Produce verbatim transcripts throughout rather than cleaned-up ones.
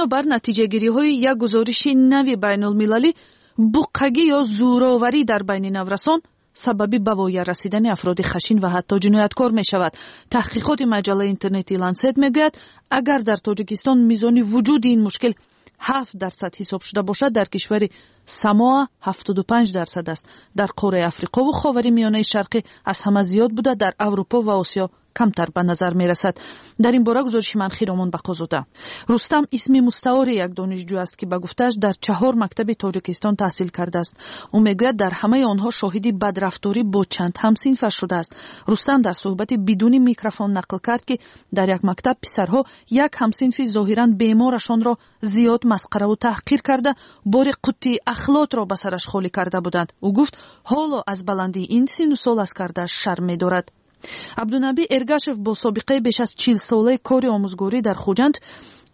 Бинобар натиҷагириҳои як гузориши нави байнулмилалӣ, буққагӣ ё зӯроварӣ дар байни наврасон сабаби ба воя расидани афроди хашин ва ҳатто ҷинояткор мешавад. Таҳқиқоти маҷаллаи интернетии Лансет мегӯяд, агар дар Тоҷикистон мизони вуҷуди ин мушкил ҳафт дарсад ҳисоб шуда бошад, дар кишвари Самоа ҳафтоду панҷ дарсад аст. Дар қораи Африқову Ховари Миёнаи Шарқӣ аз ҳама зиёд буда, дар Аврупо ва Осиё камтар ба назар мерасад. Дар ин бора гузориши ман Хиромон Бақозода. Рустам исми мустаори як донишҷӯ аст, ки ба гуфтааш дар чаҳор мактаби Тоҷикистон таҳсил кардааст. Ӯ мегӯяд, дар ҳамаи онҳо шоҳиди бадрафторӣ бо чанд ҳамсинфаш шудааст. Рустам дар суҳбати бидуни микрофон нақл кард, ки дар як мактаб писарҳо як ҳамсинфи зоҳиран беморашонро зиёд масқараву таҳқир карда, бори қуттии ахлотро ба сараш холӣ карда буданд. Ӯ гуфт, ҳоло аз баландии ин сину сол аз кардааш шарм медорад. Абдунаби Эргашев бо собиқаи беш аз чилсолаи кори омӯзгорӣ дар Хуҷанд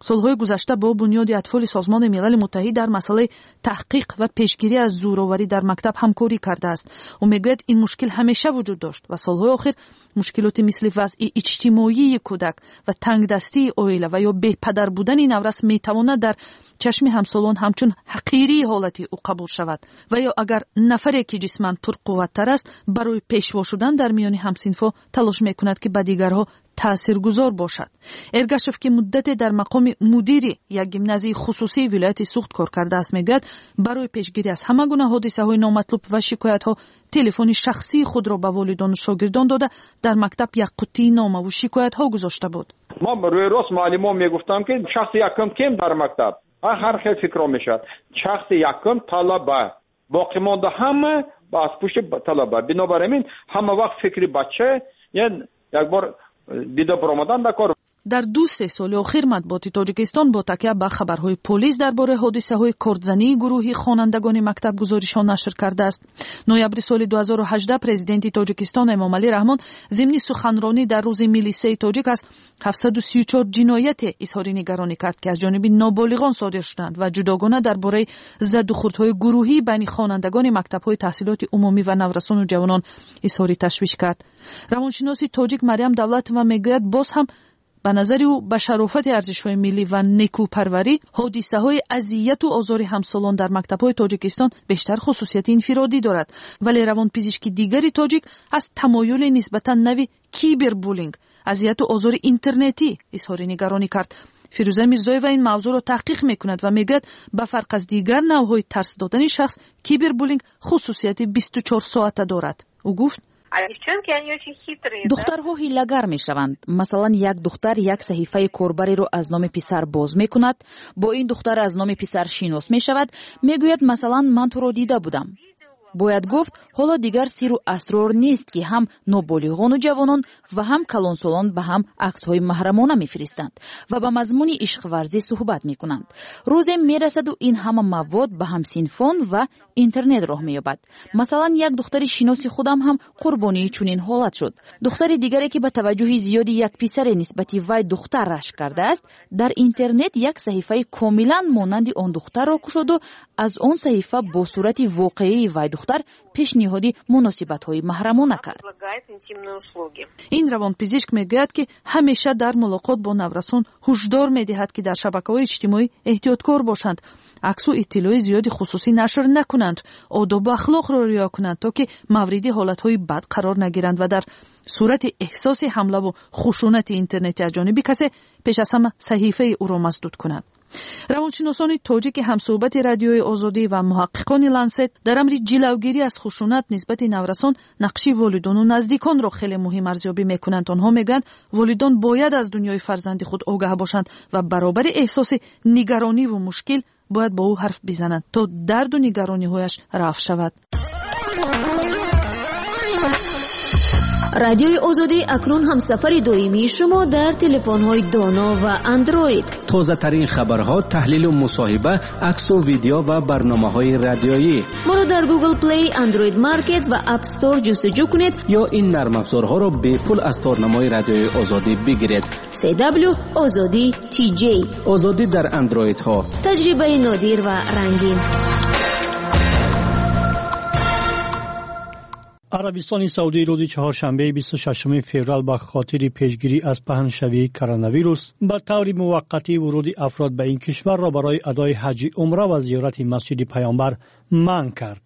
солҳои гузашта бо Бунёди Атфоли Созмони Милали Муттаҳид дар масъалаи таҳқиқ ва пешгирӣ аз зӯроварӣ дар мактаб ҳамкорӣ кардааст. Ӯ мегӯяд, ин мушкил ҳамеша вуҷуд дошт ва солҳои охир мушкилоти мисли вазъи иҷтимоии кӯдак ва тангдастии оила ва ё бепадар будани наврас метавонад дар чашми ҳамсолон ҳамчун ҳақирии ҳолати ӯ қабул шавад. Ва ё агар нафаре, ки ҷисман пурқувваттар аст, барои пешво шудан дар миёни ҳамсинфҳо талош мекунад, ки ба дигарҳо таъсиргузор бошад. Эргашев, ки муддате дар мақоми мудири як гимназияи хусусии вилояти Суғд кор кардааст, мегӯяд, барои пешгирӣ аз ҳама гуна ҳодисаҳои номатлуб ва шикоятҳо телефони шахсии худро ба волидону шогирдон дода, дар мактаб як қуттии номаву шикоятҳо гузошта буд. Ман рӯи рост муаллимон мегуфтам, ки шахси якум кем дар мактаб ҳар хел фикрҳо мешавад. Шахси якум талаба, боқӣ монда ҳама аз пушти талаба. Бинобар ин ҳама вақт фикри бача як бор дида баромадан дар кор. Дар ду се соли охир матбуоти Тоҷикистон бо такя ба хабарҳои полис дар бораи ҳодисаҳои кордзании гурӯҳи хонандагони мактаб гузоришҳо нашр кардааст. Ноябри соли ду ҳазору ҳаждаҳ президенти Тоҷикистон Эмомалӣ Раҳмон зимни суханронӣ дар рӯзи милисаи тоҷик аз ҳафтсаду сию чор ҷинояте изҳори нигаронӣ кард, ки аз ҷониби ноболиғон содир шуданд ва ҷудогона дар бораи задухӯрдҳои гурӯҳӣ байни хонандагони мактабҳои таҳсилоти умумӣ ва наврасону ҷавонон изҳори ташвиш кард. Равоншиноси тоҷик Марьям Давлатова мегӯяд, боз ҳам ба назари ӯ ба шарофати арзишҳои миллӣ ва некӯпарварӣ ҳодисаҳои азияту озори ҳамсолон дар мактабҳои Тоҷикистон бештар хусусияти инфиродӣ дорад. Вале равонпизишки дигари тоҷик аз тамоюли нисбатан нави кибербуллинг, азияту озори интернетӣ изҳори нигаронӣ кард. Фирӯза Мирзоева ин мавзӯъро таҳқиқ мекунад ва мегӯяд, ба фарқ аз дигар навъҳои тарс додани шахс, кибербуллинг хусусияти бисту чор соата дорад. Ӯ гуфт: Духтарҳо ҳилагар мешаванд. Масалан, як духтар як саҳифаи корбариро аз номи писар боз мекунад, бо ин духтар аз номи писар шинос мешавад, мегӯяд, масалан, ман туро дида будам. Бояд гуфт, ҳоло дигар сиру асрор нест, ки ҳам ноболиғону ҷавонон ва ҳам калонсолон ба ҳам аксҳои маҳрамона мефиристанд ва ба мазмуни ишқварзӣ суҳбат мекунанд. Рӯзе мерасаду ин ҳама мавод ба ҳамсинфон ва интернет роҳ меёбад. Масалан, як духтари шиноси худам ҳам қурбонии чунин ҳолат шуд. Духтари дигаре, ки ба таваҷҷӯҳи зиёди як писаре нисбати вай духтар рашк кардааст, дар интернет як саҳифаи комилан монанди он духтарро кушоду аз он саҳифа бо сурати воқеии вай духтар пешниҳоди муносибатҳои маҳрамона кард. Ин равонпизишк мегӯяд, ки ҳамеша дар мулоқот бо наврасон ҳушдор медиҳад, ки дар шабакаҳои иҷтимоӣ эҳтиёткор бошанд, аксу иттилои зиёди хусусӣ нашр накунанд, одобу ахлоқро риоя кунанд, то ки мавриди ҳолатҳои бад қарор нагиранд ва дар сурати эҳсоси ҳамлаву хушунати интернетӣ аз ҷониби касе пеш аз ҳама саҳифаи ӯро масдуд кунанд. Равоншиносони тоҷики ҳамсӯҳбати Радиои Озодӣ ва муҳаққиқони Лансет дар амри ҷилавгирӣ аз хушунат нисбати наврасон нақши волидону наздиконро хеле муҳим арзёбӣ мекунанд. Онҳо мегӯянд, волидон бояд аз дунёи фарзанди худ огаҳ бошанд ва баробари эҳсоси нигарониву мушкил бояд бо ӯ ҳарф бизананд, то дарду нигарониҳояш рафъ шавад. Радиои Озодӣ акнун ҳамсафари доимии шумо дар телефонҳои доно ва андроид. Тозатарин хабарҳо, таҳлилу мусоҳиба, аксу видео ва барномаҳои радиоӣ. Моро дар Google Play, Android Market ва App Store ҷустуҷӯ кунед ё ин нармафзорҳоро бепул аз торнамои Радиои Озодӣ бигиред. си дабл ю Озодӣ ти ҷей. Озодӣ дар андроидҳо. Таҷрибаи нодир ва рангин. Арабистони Саудӣ рӯзи чаҳоршанбеи бисту шашуми феврал ба хотири пешгирӣ аз паҳншавии коронавирус ба таври муваққатӣ вуруди афрод ба ин кишварро барои адои ҳаҷи умра ва зиёрати масҷиди Паёмбар манъ кард.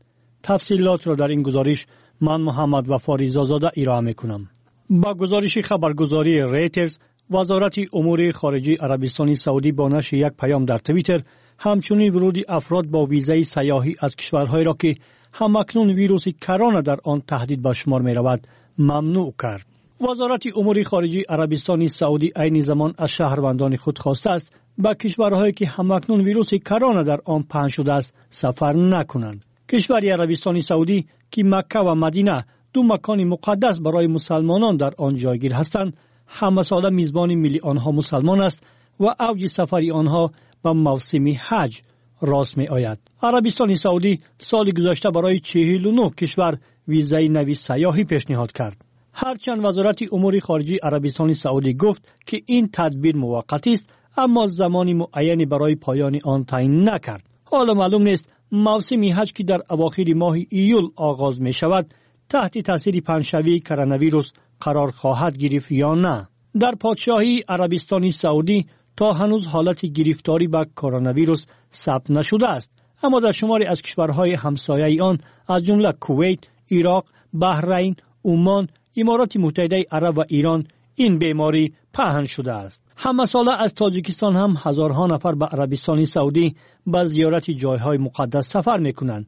Тафсилотро дар ин гузориш ман Муҳаммад Вафо Ризозода ироа мекунам. Ба гузориши хабаргузории Рейтерс, Вазорати умури хориҷии Арабистони Саудӣ бо нашри як паём дар Твиттер ҳамчунин вуруди афрод бо визаи сайёҳӣ аз кишварҳоеро ки ҳамакнун вируси корона дар он таҳдид ба шумор меравад мамнӯъ кард. Вазорати умури хориҷии Арабистони Саудӣ айни замон аз шаҳрвандони худ хостааст ба кишварҳое ки ҳамакнун вируси корона дар он паҳн шудааст сафар накунанд. Кишвари Арабистони Саудӣ ки Макка ва Мадина ду макони муқаддас барои мусалмонон дар он ҷойгир ҳастанд, ҳамасола мизбони миллионҳо мусалмон аст ва авҷи сафари онҳо ба мавсими ҳаҷ рост меояд. Арабистони Саудӣ соли гузашта барои чиҳилу нӯҳ кишвар визаи нави сайёҳӣ пешниҳод кард. Ҳарчанд Вазорати умури хориҷии Арабистони Саудӣ гуфт ки ин тадбир муваққатист, аммо замони муайяне барои поёни он таъин накард. Ҳоло маълум нест мавсими ҳаҷ ки дар авохири моҳи июл оғоз мешавад таҳти таъсири паҳншавии коронавирус қарор хоҳад гирифт ё на. Дар подшоҳии Арабистони Саудӣ то ҳанӯз ҳолати гирифторӣ ба коронавирус сабт нашудааст, аммо дар шумори аз кишварҳои ҳамсояи он аз ҷумла Кувайт, Ироқ, Баҳрайн, Умон, Имороти Муттаҳидаи Араб ва Ирон ин беморӣ паҳн шудааст. Ҳамасола аз Тоҷикистон ҳам ҳазорҳо нафар ба Арабистони Саудӣ ба зиёрати ҷойҳои муқаддас сафар мекунанд.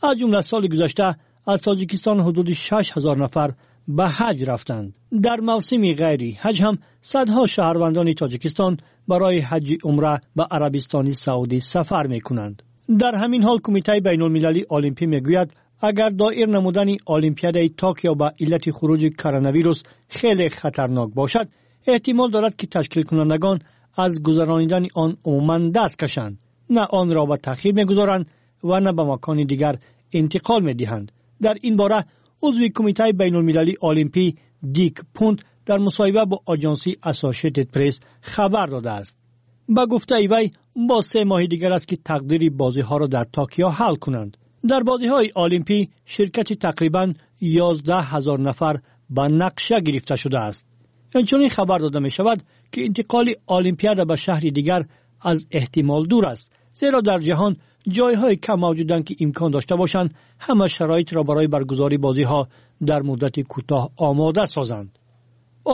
Аз ҷумла соли гузашта аз Тоҷикистон ҳудуди шаш ҳазор нафар ба ҳаҷ рафтанд. Дар мавсими ғайри ҳаҷ ҳам садҳо шаҳрвандони Тоҷикистон барои ҳаҷи умра ба Арабистони Саудӣ сафар мекунанд. Дар ҳамин ҳол Кумитаи байналмилалии Олимпӣ мегӯяд агар доир намудани Олимпиадаи Токио ба иллати хуруҷи коронавирус хеле хатарнок бошад, эҳтимол дорад ки ташкилкунандагон аз гузаронидани он умуман даст кашанд, на онро ба таъхир мегузоранд ва на ба макони дигар интиқол медиҳанд. Дар ин бора узви Кумитаи байналмилалии Олимпӣ Дик Пунт дар мусоҳиба бо оҷонсии Associated Press хабар додааст. Ба гуфтаи вай бо се моҳи дигар аст ки тақдири бозиҳоро дар Токио ҳал кунанд. Дар бозиҳои Олимпӣ ширкати тақрибан ёздаҳ ҳазор нафар ба нақша гирифта шудааст. Инчунин хабар дода мешавад ки интиқоли Олимпиада ба шаҳри дигар аз эҳтимол дур аст, зеро дар ҷаҳон ҷойҳои кам мавҷуданд ки имкон дошта бошанд ҳама шароитро барои баргузории бозиҳо дар муддати кӯтоҳ омода созанд.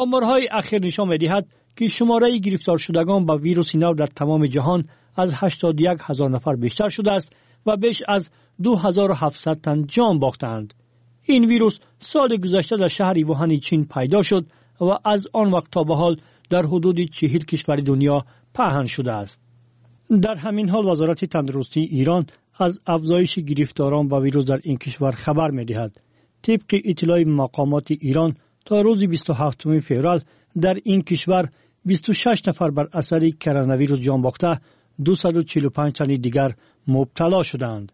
Оморҳои ахир нишон медиҳад ки шумораи гирифторшудагон ба вируси нав дар тамоми ҷаҳон аз ҳаштоду як ҳазор нафар бештар шудааст ва беш аз ду ҳазору ҳафтсад тан ҷон бохтаанд. Ин вирус соли гузашта дар шаҳри Вуҳани Чин пайдо шуд ва аз он вақт то ба ҳол дар ҳудуди чиҳил кишвари дунё паҳн шудааст. Дар ҳамин ҳол Вазорати тандурустии Ирон аз афзоиши гирифторон ба вирус дар ин кишвар хабар медиҳад. Тибқи иттилои мақомоти Ирон то рӯзи бисту ҳафтуми феврал дар ин кишвар бисту шаш нафар бар асари коронавирус ҷон бохта, дусаду чилу панҷ тани дигар мубтало шудаанд.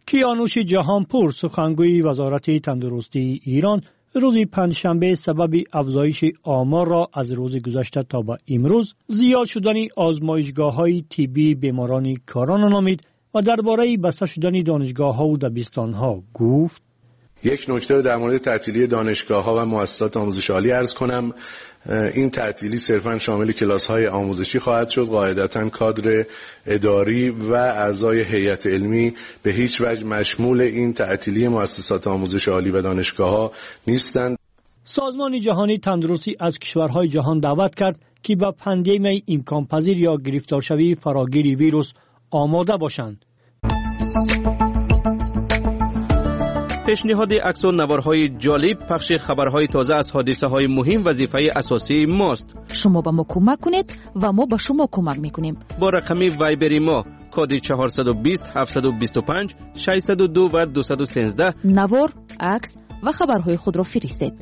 Киянуши Ҷаҳонпур, сухангӯи Вазорати тандурустии Ирон, рӯзи панҷшанбе сабаби афзоиши оморро аз рӯзи гузашта то ба имрӯз зиёд шудани озмоишгоҳҳои тиббии беморони корона номид ва дар бораи баста шудани донишгоҳҳову дабистонҳо гуфт: یک نکته رو در مورد تعطیلی دانشگاه‌ها و مؤسسات آموزش عالی عرض کنم. این تعطیلی صرفاً شامل کلاس‌های آموزشی خواهد شد. قاعدتاً کادر اداری و اعضای هیئت علمی به هیچ وجه مشمول این تعطیلی مؤسسات آموزش عالی و دانشگاه‌ها نیستند. سازمان جهانی تندرستی از کشورهای جهان دعوت کرد که به پاندمی امکانپذیر یا گرفتارشوی فراگیر ویروس آماده باشند. пешниҳоди аксу наворҳои ҷолиб, пахши хабарҳои тоза аз ҳодисаҳои муҳим вазифаи асосии мост. Шумо ба мо кӯмак кунед ва мо ба шумо кӯмак мекунем. Бо рақами вайбери мо коди чорсаду бист, ҳафтсаду бисту панҷ, шашсаду ду ва дусаду сенздаҳ навор, акс ва хабарҳои худро фиристед.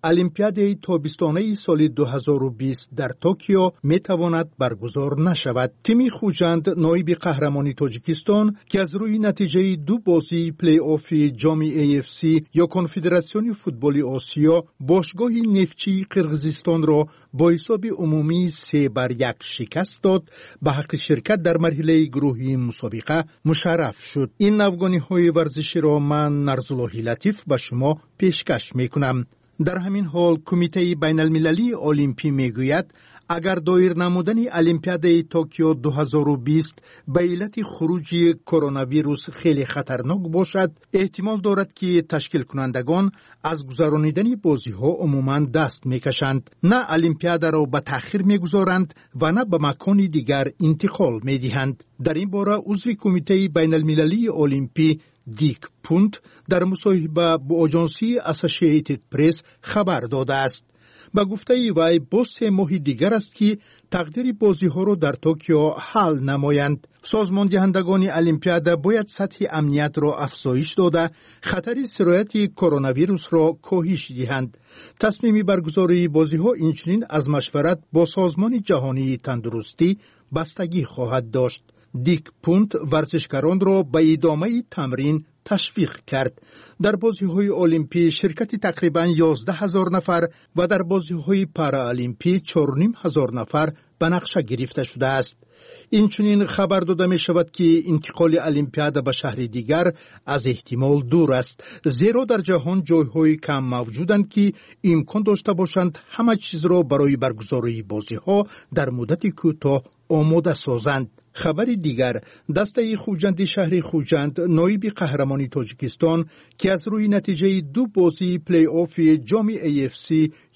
Олимпиадаи тобистонаи соли ду ҳазору бист дар Токио метавонад баргузор нашавад. Тими Хуҷанд, ноиби қаҳрамони Тоҷикистон, ки аз рӯи натиҷаи ду бозии плей-оффи ҷоми A F C ё Конфедератсиони футболи Осиё бошгоҳи Нефтчии Қирғизистонро бо ҳисоби умумии се бар як шикаст дод, ба ҳаққи ширкат дар марҳилаи гурӯҳии мусобиқа мушарраф шуд. Ин навгониҳои варзиширо ман, Нарзуллоҳи Латиф, ба шумо пешкаш мекунам. Дар ҳамин ҳол Кумитаи байналмилалии олимпӣ мегӯяд, агар доир намудани Олимпиадаи Токио ду ҳазору бист ба иллати хуруҷи коронавирус хеле хатарнок бошад, эҳтимол дорад, ки ташкилкунандагон аз гузаронидани бозиҳо умуман даст мекашанд, на олимпиадаро ба таъхир мегузоранд ва на ба макони дигар интиқол медиҳанд. Дар ин бора узви Кумитаи байналмилалии олимпӣ Дик Пунт дар мусоҳиба бо оҷонсии Associated Press хабар додааст. Ба гуфтаи вай, боз се моҳи дигар аст, ки тақдири бозиҳоро дар Токио ҳал намоянд. Созмондиҳандагони олимпиада бояд сатҳи амниятро афзоиш дода, хатари сирояти коронавирусро коҳиш диҳанд. Тасмими баргузории бозиҳо инчунин аз машварат бо Созмони ҷаҳонии тандурустӣ бастагӣ хоҳад дошт. Дик Пунт варзишгаронро ба идомаи тамрин ташвиқ кард. Дар бозиҳои олимпӣ ширкати тақрибан ёздаҳ ҳазор нафар ва дар бозиҳои параолимпӣ чорним ҳазор нафар ба нақша гирифта шудааст. Инчунин хабар дода мешавад, ки интиқоли олимпиада ба шаҳри дигар аз эҳтимол дур аст, зеро дар ҷаҳон ҷойҳои кам мавҷуданд, ки имкон дошта бошанд ҳама чизро барои баргузории бозиҳо дар муддати кӯтоҳ омода созанд. Хабари дигар: дастаи Хуҷанди шаҳри Хуҷанд, ноиби қаҳрамони Тоҷикистон, ки аз рӯи натиҷаи ду бозии плей-оффи ҷоми A F C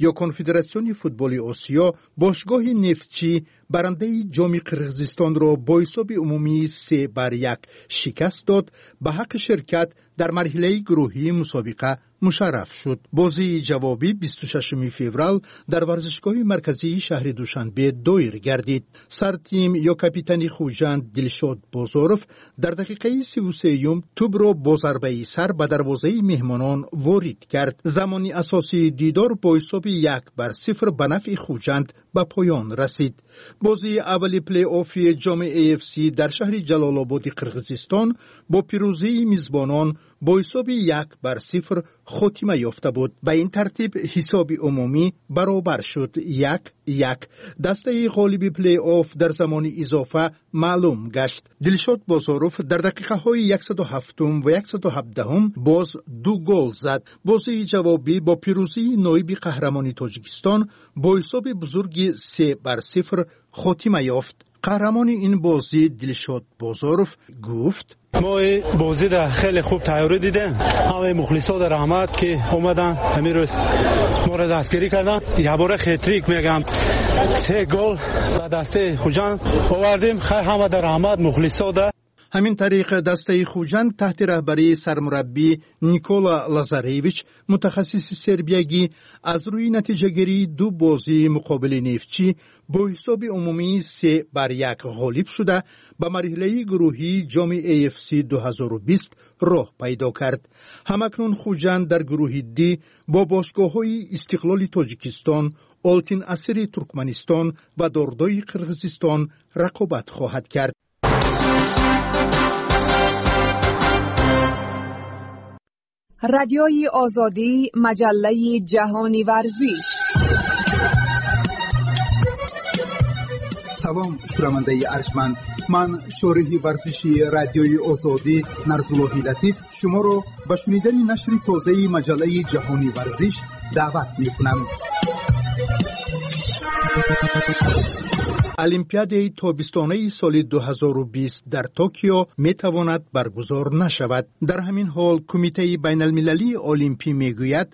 ё Конфедератсиони футболи Осиё бошгоҳи Нефтчӣ, барандаи ҷоми Қирғизистонро бо ҳисоби умумии се бар як шикаст дод, ба ҳаққи ширкат дар марҳилаи гурӯҳии мусобиқа мушарраф шуд. Бозии ҷавобӣ бисту шашуми феврал дар варзишгоҳи марказии шаҳри Душанбе доир гардид. Сартим ё капитани Хуҷанд Дилшод Бозоров дар дақиқаи сиву сеюм тӯбро бо зарбаи сар ба дарвозаи меҳмонон ворид кард. Замони асосии дидор бо ҳисоби як бар сифр ба нафъи Хуҷанд ба поён расид. Бозии аввали плей-оффи ҷоми A F C дар шаҳри Ҷалолободи Қирғизистон бо пирӯзии мизбонон бо ҳисоби як бар сифр хотима ёфта буд. Ба ин тартиб ҳисоби умумӣ баробар шуд: як як. Дастаи ғолиби плей-офф дар замони изофа маълум гашт. Дилшод Бозоров дар дақиқаҳои яксаду ҳафтум ва яксаду ҳабдаҳум боз ду гол зад. Бозии ҷавобӣ бо пирӯзии ноиби қаҳрамони Тоҷикистон бо ҳисоби бузурги се бар сифр хотима ёфт. Қаҳрамони ин бозӣ Дилшод Бозоров гуфт: Мо бозиро хеле хуб тайёрӣ дидем. Ҳамаи мухлисода раҳмат, ки омадан, ҳамин рӯз моро дастгирӣ карданд. Якбора хет-трик мегам, се гол ба дастаи Хуҷанд овардем. Хай, ҳамада раҳмат, мухлисода. Ҳамин тариқ, дастаи Хуҷанд таҳти раҳбарии сармураббӣ Никола Лазаревич, мутахассиси сербиягӣ, аз рӯи натиҷагирии ду бозии муқобили Нефтчӣ бо ҳисоби умумии се бар як ғолиб шуда, ба марҳилаи гурӯҳии ҷоми A F C ду ҳазору бист роҳ пайдо кард. Ҳамакнун Хуҷанд дар гурӯҳи Д бо бошгоҳҳои Истиқлоли Тоҷикистон, Олтин Асири Туркманистон ва Дордои Қирғизистон рақобат хоҳад кард. Радиои Озодӣ, маҷаллаи ҷаҳони варзиш. Салом, шунавандаи арҷманд! Ман, шориҳи варзиши Радиои Озодӣ Нарзуллоҳи Латиф, шуморо ба шунидани нашри тозаи маҷаллаи ҷаҳони варзиш даъват мекунам. Олимпиадаи тобистонаи соли ду ҳазору бист дар Токио метавонад баргузор нашавад. Дар ҳамин ҳол Кумитаи байналмилалии олимпӣ мегӯяд,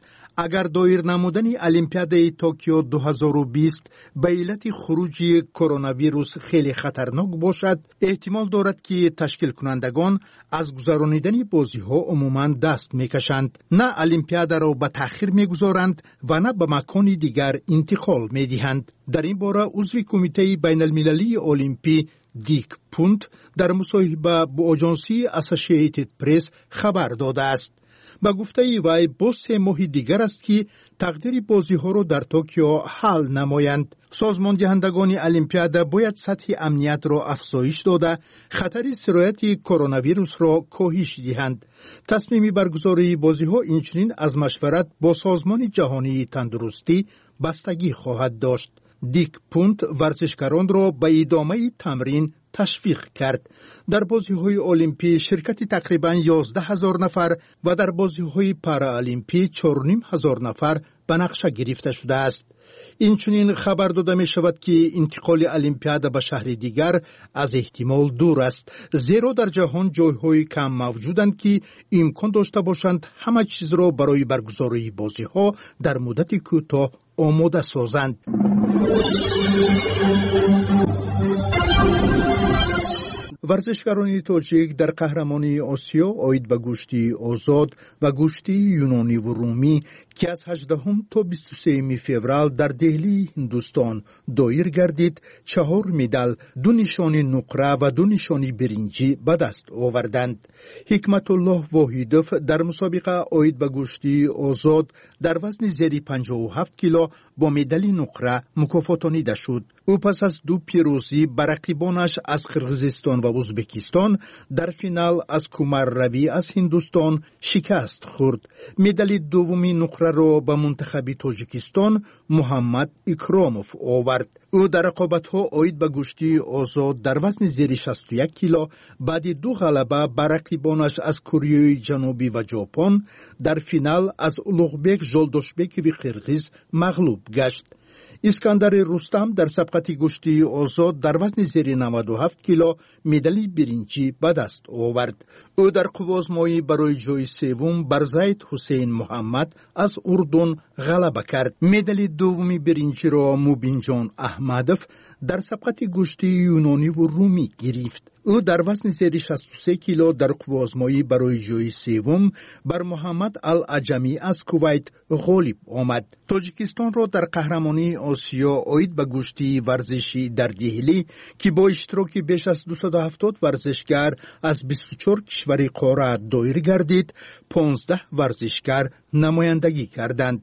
агар доир намудани Олимпиадаи Токио ду ҳазору бист ба иллати хуруҷи коронавирус хеле хатарнок бошад, эҳтимол дорад, ки ташкилкунандагон аз гузаронидани бозиҳо умуман даст мекашанд, на олимпиадаро ба таъхир мегузоранд ва на ба макони дигар интиқол медиҳанд. Дар ин бора узви Кумитаи байналмилалии олимпӣ Дик Пунт дар мусоҳиба бо оҷонсии Associated Press хабар додааст. Ба гуфтаи вай, боз се моҳи дигар аст, ки тақдири бозиҳоро дар Токио ҳал намоянд. Созмондиҳандагони Олимпиада бояд сатҳи амниятро афзоиш дода, хатари сирояти коронавирусро коҳиш диҳанд. Тасмими баргузории бозиҳо инчунин аз машварат бо Созмони ҷаҳонии тандурустӣ бастагӣ хоҳад дошт. Дик Пунт варзишгаронро ба идомаи тамрин ташвиқ кард. Дар бозиҳои олимпӣ ширкати тақрибан ёздаҳ ҳазор нафар ва дар бозиҳои параолимпӣ чорним ҳазор нафар ба нақша гирифта шудааст. Инчунин хабар дода мешавад, ки интиқоли Олимпиада ба шаҳри дигар аз эҳтимол дур аст, зеро дар ҷаҳон ҷойҳои кам мавҷуданд, ки имкон дошта бошанд ҳама чизро барои баргузории бозиҳо дар муддати кӯтоҳ омода созанд. Варзишгарони тоҷик дар қаҳрамонии Осиё оид ба гӯштии озод ва гӯштии юнониву румӣ, ки аз ҳаждаҳум то бисту сеюми феврал дар Деҳлии Ҳиндустон доир гардид, чаҳор медал, ду нишони нуқра ва ду нишони биринҷӣ ба даст оварданд. Ҳикматуллоҳ Воҳидов дар мусобиқа оид ба гӯштии озод дар вазни зери панҷоҳу ҳафт кило бо медали нуқра мукофотонида шуд. Ӯ пас аз ду пирӯзӣ ба рақибонаш аз Қирғизистон ва Узбекистон дар финал аз Кумар Равӣ аз Ҳиндустон шикаст хӯрд. Медали дуввуми нуқраро ба мунтахаби Тоҷикистон Муҳаммад Икромов овард. Ӯ дар рақобатҳо оид ба гӯштии озод дар вазни зери шасту як кило баъди ду ғалаба ба рақибонаш аз Кореяи Ҷанубӣ ва Ҷопон дар финал аз Улуғбек Жолдошбекови қирғиз мағлуб гашт. Искандари Рустам дар сабқати гӯштии озод дар вазни зери наваду ҳафт кило медали биринҷӣ ба даст овард. Ӯ дар қуввозмоӣ барои ҷои севум бар Зайд Ҳусейн Муҳаммад аз Урдун ғалаба кард. Медали дуввуми биринҷиро Мубинҷон Аҳмадов дар сабқати гӯштии юнониву румӣ гирифт. Ӯ дар вазни зери шасту се кило дар қуввозмоӣ барои ҷои севум бар Муҳаммад Ал-Аҷамӣ аз Кувайт ғолиб омад. Тоҷикистонро дар қаҳрамонии Осиё оид ба гӯштии варзишӣ дар Деҳлӣ, ки бо иштироки беш аз дусаду ҳафтод варзишгар аз бисту чор кишвари қора доир гардид, понздаҳ варзишгар намояндагӣ карданд.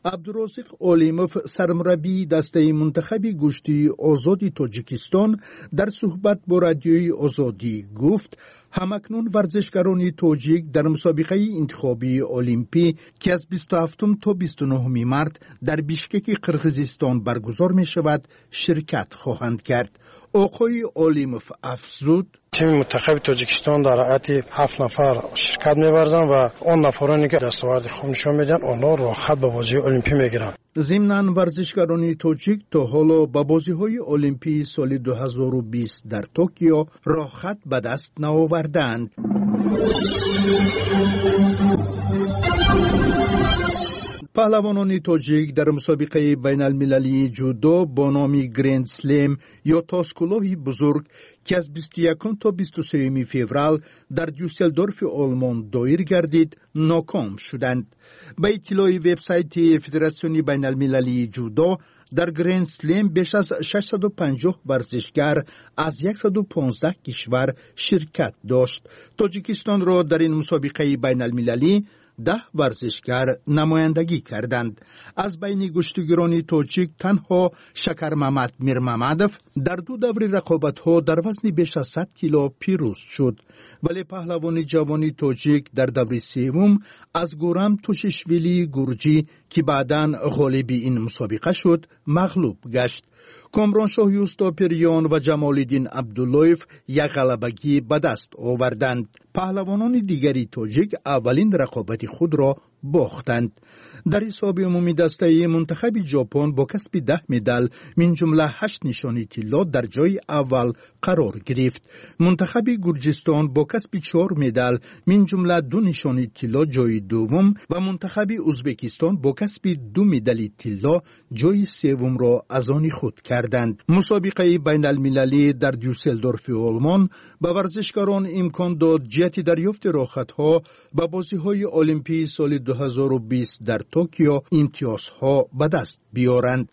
Абдурозиқ Олимов, сармураббии дастаи мунтахаби гӯштии озоди Тоҷикистон, дар суҳбат бо Радиои Озодӣ гуфт, ҳамакнун варзишгарони тоҷик дар мусобиқаи интихобии олимпӣ, ки аз бисту ҳафтум то бисту нуҳуми март дар Бишкеки Қирғизистон баргузор мешавад, ширкат хоҳанд кард. Оқои Олимов афзуд: тими мунтахаби Тоҷикистон дар ҳайати ҳафт нафар ширкат меварзанд ва он нафароне ки дастоварди хуб нишон медиҳанд, онҳо роҳхат ба бозии олимпӣ мегиранд. Зимнан варзишгарони тоҷик то ҳоло ба бозиҳои олимпии соли ду ҳазору бист дар Токио роҳхат ба даст наовардаанд. Паҳлавонони тоҷик дар мусобиқаи байналмилалии ҷудо бо номи Гренд Слем ё тоскулоҳи бузург, ки аз бисту якум то бисту сеюми феврал дар Дюсселдорфи Олмон доир гардид, ноком шуданд. Ба иттилои вебсайти Федератсиони байналмилалии ҷудо, дар Гренд Слем беш аз шашсаду панҷоҳ варзишгар аз яксаду понздаҳ кишвар ширкат дошт. Тоҷикистонро дар ин мусобиқаи байналмилалӣ даҳ варзишгар намояндагӣ карданд. Аз байни гӯштигирони тоҷик танҳо Шакармамад Мирмамадов дар ду даври рақобатҳо дар вазни беш аз сад кило пирӯз шуд. Вале паҳлавони ҷавони тоҷик дар даври севум аз Гурам Тушишвилии гурҷӣ, ки баъдан ғолиби ин мусобиқа шуд, мағлуб гашт. Комроншоҳ Юстопирён ва Ҷамолиддин Абдуллоев як ғалабагӣ ба даст оварданд. Паҳлавонони дигари тоҷик аввалин рақобати худро бохтанд. Дар ҳисоби умумии дастаи мунтахаби Ҷопон бо касби даҳ медал, минҷумла ҳашт нишони тилло, дар ҷои аввал қарор гирифт. Мунтахаби Гурҷистон бо касби чор медал, минҷумла ду нишони тилло, ҷои дуввум ва мунтахаби Узбекистон бо касби ду медали тилло ҷои севумро аз они худ карданд. Мусобиқаи байналмилалӣ дар Дюсселдорфи Олмон ба варзишгарон имкон дод ҷиҳати дарёфти роҳхатҳо ба бозиҳои олимпии соли ду ҳазору бист дар Токио имтиёзҳо ба даст биёранд.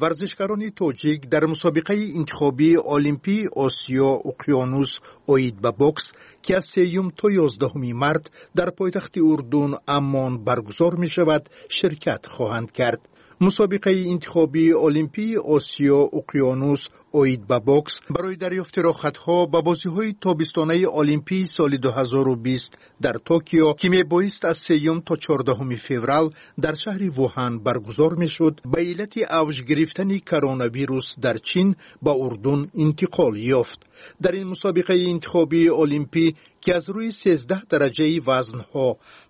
Варзишгарони тоҷик дар мусобиқаи интихобии Олимпии Осиё Уқёнус оид ба бокс, ки аз сеюм то ёздаҳуми март дар пойтахти Урдун Аммон баргузор мешавад, ширкат хоҳанд кард. Мусобиқаи интихобии Олимпии Осиё Уқёнус оид ба бокс барои дарёфти роҳхатҳо ба бозиҳои тобистонаи Олимпии соли ду ҳазору бист дар Токио, ки мебоист аз сеюм то чордаҳуми феврал дар шаҳри Вуҳан баргузор мешуд, ба иллати авҷ гирифтани коронавирус дар Чин ба Урдун интиқол ёфт. Дар ин мусобиқаи интихобии Олимпӣ, ки аз рӯи сездаҳ дараҷаи вазнҳо,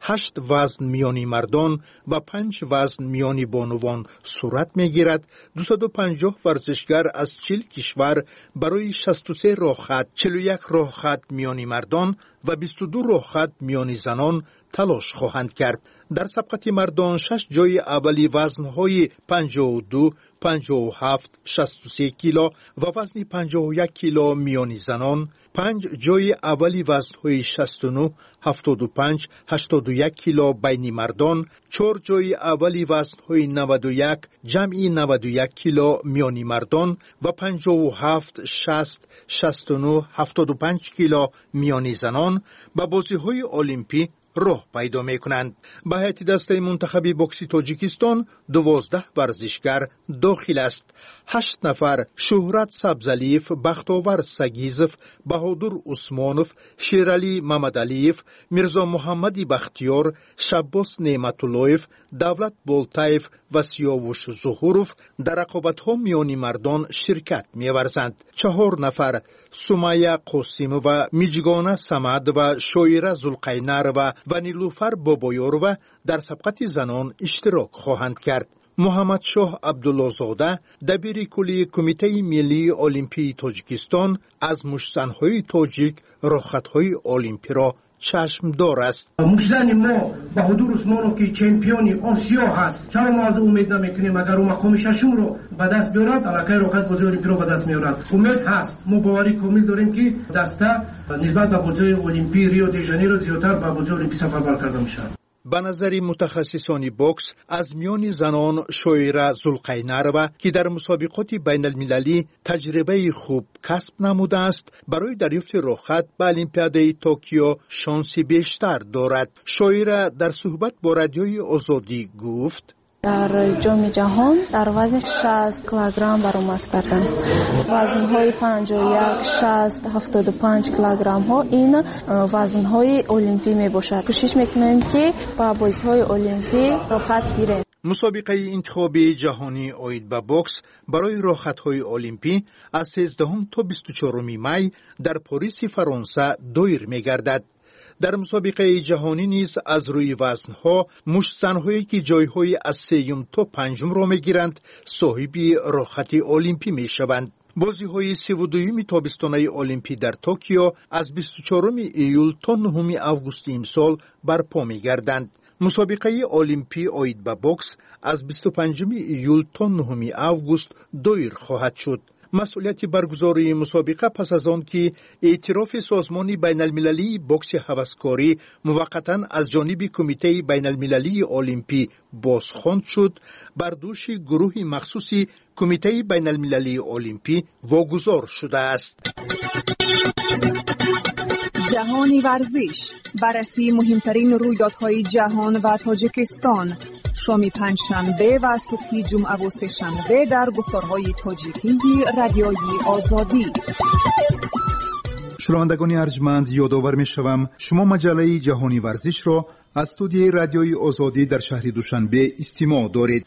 ҳашт вазн миёни мардон ва панҷ вазн миёни бонувон сурат мегирад, дусаду панҷоҳ варзишгар аз чил кишвар барои шасту се роҳхат, чилу як роҳхат миёни мардон ва бисту ду роҳхат миёни занон талош хоҳанд кард. Дар сабқати мардон шаш ҷои аввали вазнҳои панҷоҳу ду, панҷоҳу ҳафт, шасту се кило ва вазни панҷоҳу як кило миёни занон, панҷ ҷои аввали вазнҳои шасту нӯҳ, ҳафтоду панҷ, ҳаштоду як кило байни мардон, чор ҷои аввали вазнҳои наваду як, ҷамъи наваду як кило миёни мардон ва панҷоҳу ҳафт, шаст, шасту нӯҳ, ҳафтоду панҷ кило миёни занон ба бозиҳои Олимпӣ роҳ пайдо мекунанд. Ба ҳайати дастаи мунтахаби бокси Тоҷикистон дувоздаҳ варзишгар дохил аст. Ҳашт нафар Шӯҳрат Сабзалиев, Бахтовар Сагизов, Баҳодур Усмонов, Шералӣ Мамадалиев, Мирзо Муҳаммади Бахтиёр, Шаббос Неъматуллоев, Давлат Болтаев ва Сиёвуш Зуҳуров дар рақобатҳо миёни мардон ширкат меварзанд. Чаҳор нафар Сумая Қосимова, Миҷгона Самадова, Шоира Зулқайнарова ва Нилуфар Бобоёрова дар сабқати занон иштирок хоҳанд кард. Муҳаммадшоҳ Абдуллозода, дабири кулли Кумитаи миллии Олимпии Тоҷикистон, аз муштзанҳои тоҷик роҳхатҳои олимпиро чашмдор аст. Муштзани мо Баҳодур Усмонов, ки чемпиони Осиё ҳаст, чаро мо аз ӯ умед намекунем? Агар ӯ мақоми шашумро ба даст биёрад, аллакай роҳхат бозиҳои олимпиро ба даст меорад. Умед ҳаст. Мо боварӣ комил дорем, ки даста нисбат ба бозиҳои олимпии Рио де Жанейро зиёдтар ба бозиҳои олимпӣ сафарбар карда мешавад. Ба назари мутахассисони бокс, аз миёни занон Шоира Зулқайнарова, ки дар мусобиқоти байналмилалӣ таҷрибаи хуб касб намудааст, барои дарёфти роҳхат ба Олимпиадаи Токио шонси бештар дорад. Шоира дар суҳбат бо Радиои Озодӣ гуфт: Дар Ҷоми ҷаҳон дар вазни шаст килограмм баромад кардам. Вазнҳои панҷоҳу як, шаст, ҳафтоду панҷ килограммҳо ин вазнҳои олимпӣ мебошад. Кӯшиш мекунем, ки ба бозиҳои олимпӣ роҳхат гирем. Мусобиқаи интихобии ҷаҳонӣ оид ба бокс барои роҳхатҳои олимпӣ аз сездаҳум то бисту чоруми май дар Пориси Фаронса доир мегардад. Дар мусобиқаи ҷаҳонӣ низ аз рӯи вазнҳо муштзанҳое, ки ҷойҳои аз сеюм то панҷумро мегиранд, соҳиби роҳхати олимпӣ мешаванд. Бозиҳои сиву дуюми тобистонаи олимпӣ дар Токио аз бисту чоруми июл то нуҳуми августи имсол барпо мегарданд. Мусобиқаи олимпӣ оид ба бокс аз бисту панҷуми июл то нуҳуми август доир хоҳад шуд. Масъулияти баргузории мусобиқа пас аз он ки эътирофи Созмони байналмилалии бокси ҳаваскорӣ муваққатан аз ҷониби Кумитаи байналмилалии олимпӣ бозхонд шуд, бар дӯши гурӯҳи махсуси Кумитаи байналмилалии олимпӣ вогузор шудааст. Ҷаҳони варзиш, баррасии муҳимтарин рӯйдодҳои ҷаҳон ва Тоҷикистон, шоми панҷшанбе ва субҳи ҷумъаву сешанбе дар гуфторҳои тоҷикии Радиои Озодӣ. Шунавандагони арҷманд, ёдовар мешавам, шумо маҷаллаи Ҷаҳони варзишро аз студияи Радиои Озодӣ дар шаҳри Душанбе истимоъ доред.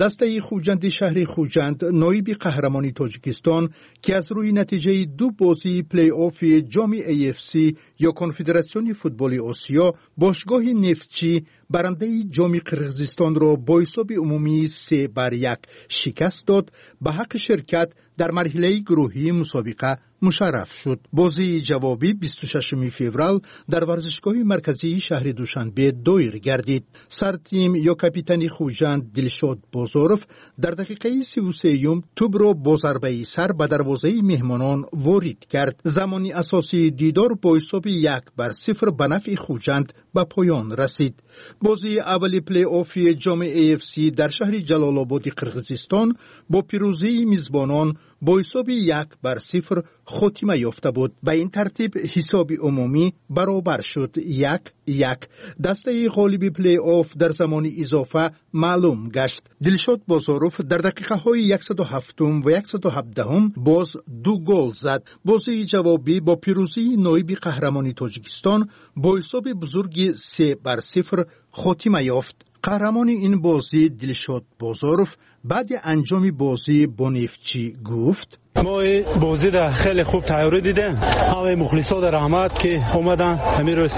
Дастаи Хуҷанди шаҳри Хуҷанд, ноиби қаҳрамони Тоҷикистон, ки аз рӯи натиҷаи ду бозии плей-оффи ҷоми эй эф си ё Конфедератсиони футболи Осиё бошгоҳи Нефтчӣ барандаи ҷоми Қирғизистонро бо ҳисоби умумии се бар як шикаст дод, ба ҳаққи ширкат дар марҳилаи гурӯҳии мусобиқа мушарраф шуд. Бозии ҷавобӣ бисту шашуми феврал дар варзишгоҳи марказии шаҳри Душанбе доир гардид. Сартим ё капитани Хуҷанд Дилшод Бозоров дар дақиқаи сиву сеюм тӯбро бо зарбаи сар ба дарвозаи меҳмонон ворид кард. Замони асосии дидор бо ҳисоби як бар сифр ба нафъи Хуҷанд ба поён расид. Бозии аввали плей-оффи ҷоми эй эф си дар шаҳри Ҷалолободи Қирғизистон бо пирӯзии мизбонон бо ҳисоби як бар сифр хотима ёфта буд. Ба ин тартиб ҳисоби умумӣ баробар шуд як як. Дастаи ғолиби плей-офф дар замони изофа маълум гашт. Дилшод Бозоров дар дақиқаҳои яксаду ҳафтум ва яксаду ҳабдаҳум боз ду гол зад. Бозии ҷавобӣ бо пирӯзии ноиби қаҳрамони Тоҷикистон бо ҳисоби бузурги се бар сифр хотима ёфт. Қаҳрамони ин бозӣ Дилшод Бозоров баъди анҷоми бозӣ бо Нефтчӣ гуфт: мо бозиро хеле хуб тайёрӣ дидем. Ҳамаи мухлисода раҳмат, ки омаданд ҳамин рӯз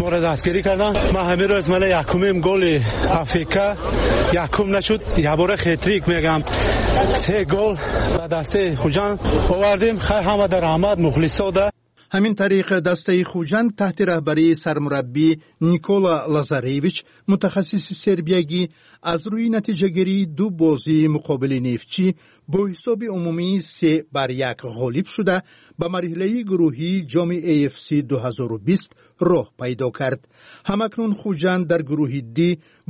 моро дастгирӣ карданд. Ман ҳамин рӯз мана якумим голи Африка якум нашуд, ябора хетрик мегам, се гол ба дастаи Хуҷанд овардем. Хай ҳамада раҳмат мухлисода. Ҳамин тариқ дастаи Хуҷанд таҳти раҳбарии сармураббӣ Никола Лазаревич, мутахассиси сербиягӣ, аз рӯи натиҷагирии ду бозии муқобили Нефтчӣ бо ҳисоби умумии се бар як ғолиб шуда ба марҳилаи гурӯҳии ҷоми эй эф си ду ҳазору бист роҳ пайдо кард. Ҳамакнун Хуҷанд дар гурӯҳи Д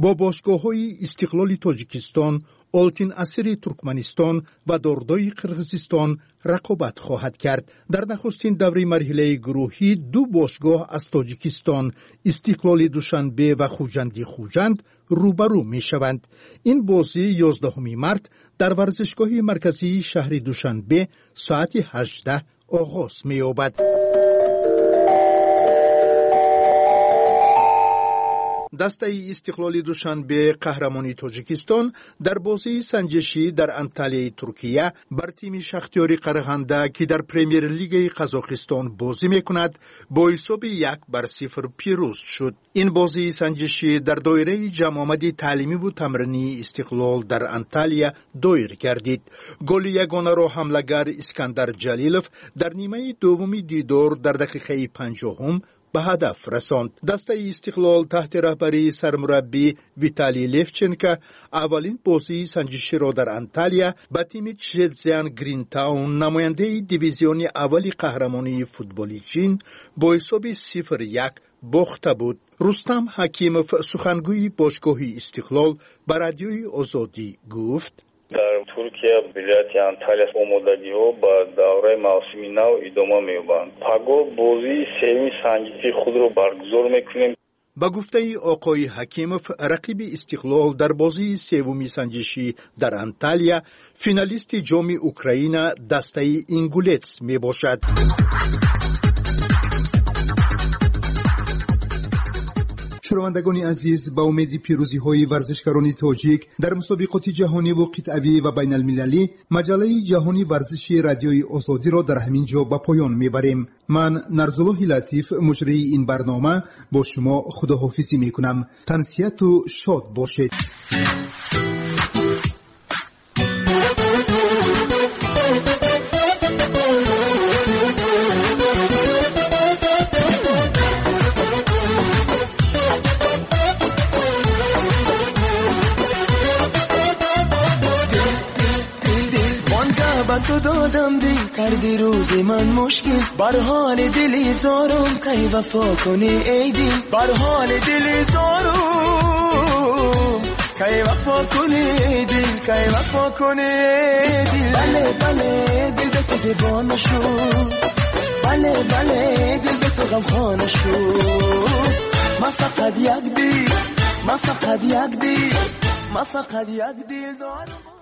бо бошгоҳҳои Истиқлоли Тоҷикистон, Олтин Асири Туркманистон ва Дордои Қирғизистон рақобат хоҳад кард. Дар нахустин даври марҳилаи гурӯҳӣ ду бошгоҳ аз Тоҷикистон, Истиқлоли Душанбе ва Хуҷанди Хуҷанд рӯбарӯ мешаванд. Ин бозӣ ёздаҳуми март дар варзишгоҳи марказии шаҳри Душанбе соати ҳаждаҳ оғоз меёбад. Дастаи Истиқлоли Душанбе, қаҳрамони Тоҷикистон, дар бозии санҷишӣ дар Анталияи Туркия бар тими Шахтиёри Қарағанда, ки дар Премер-лигаи Қазоқистон бозӣ мекунад, бо ҳисоби як бар сифр пирӯз шуд. Ин бозии санҷишӣ дар доираи ҷамъомади таълимиву тамринии Истиқлол дар Анталия доир гардид. Голи ягонаро ҳамлагар Искандар Ҷалилов дар нимаи дуввуми дидор дар дақиқаи панҷоҳум ба ҳадаф расонд. Дастаи Истиқлол таҳти раҳбарии сармураббӣ Виталий Левченко аввалин бозии санҷиширо дар Анталия ба тими Чжэцзян Гринтаун, намояндаи дивизиони аввали қаҳрамонии футболи Чин, бо ҳисоби сифр як бохта буд. Рустам Ҳакимов, сухангӯи бошгоҳи Истиқлол, ба Радиои Озодӣ гуфт: дар Туркия вилояти Анталия омодагиҳо ба давраи мавсими нав идома меёбанд. Пагоҳ бозии сеюми санҷиши худро баргузор мекунем. Ба гуфтаи оқои Ҳакимов, рақиби Истиқлол дар бозии севуми санҷишӣ дар Анталия финалисти ҷоми Украина дастаи Ингулец мебошад. Шунавандагони азиз, ба умеди пирӯзиҳои варзишгарони тоҷик дар мусобиқоти ҷаҳониву қитъавӣ ва байналмилалӣ, маҷаллаи ҷаҳони варзиши Радиои Озодиро дар ҳамин ҷо ба поён мебарем. Ман Нарзуллоҳи Латиф, муҷрии ин барнома, бо шумо худоҳофизӣ мекунам. Тансиҳату шод бошед. تو دادم دل کردی روز من مشکل، بر حال دلی زارم کی وفا کنی ای دل، بر حال دلی زارم کی وفا کنی ای دل، کی وفا کنی ای دل. بله بله دل به تو دیوانه شد، بله بله دل به تو غمخانه شد. من فقط یک دل، من فقط یک دل، من فقط یک دل دارم.